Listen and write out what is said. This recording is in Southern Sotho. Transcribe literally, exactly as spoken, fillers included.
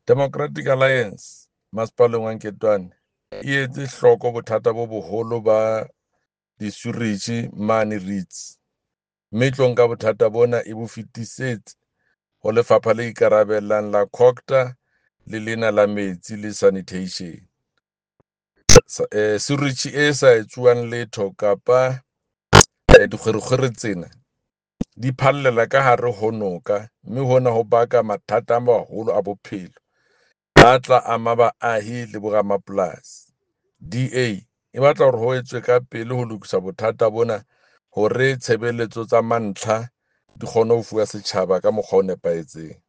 Democratic Alliance masepaleng wa Nketwane e etse hloko bothata bo boholo ba di-sewerage mane Reitz, mme e tlo nka bothata bona e bo fetisetse ho lefapha le ikarabellang la Cogta le lena la metsi le sanitation. Sewerage e sa etsuwang letho kapa dikgwerekgwere tsena di phallela ka hare ho noka, mme hona ho baka mathata a maholo a bophelo a tla ama baahi le boramapolasi. D_A e batla hore ho etswe ka pele ho lokisa bothata bona hore tshebeletso tsa mantlha di kgone ho fuwa setjhaba ka mokgwa o nepahetseng.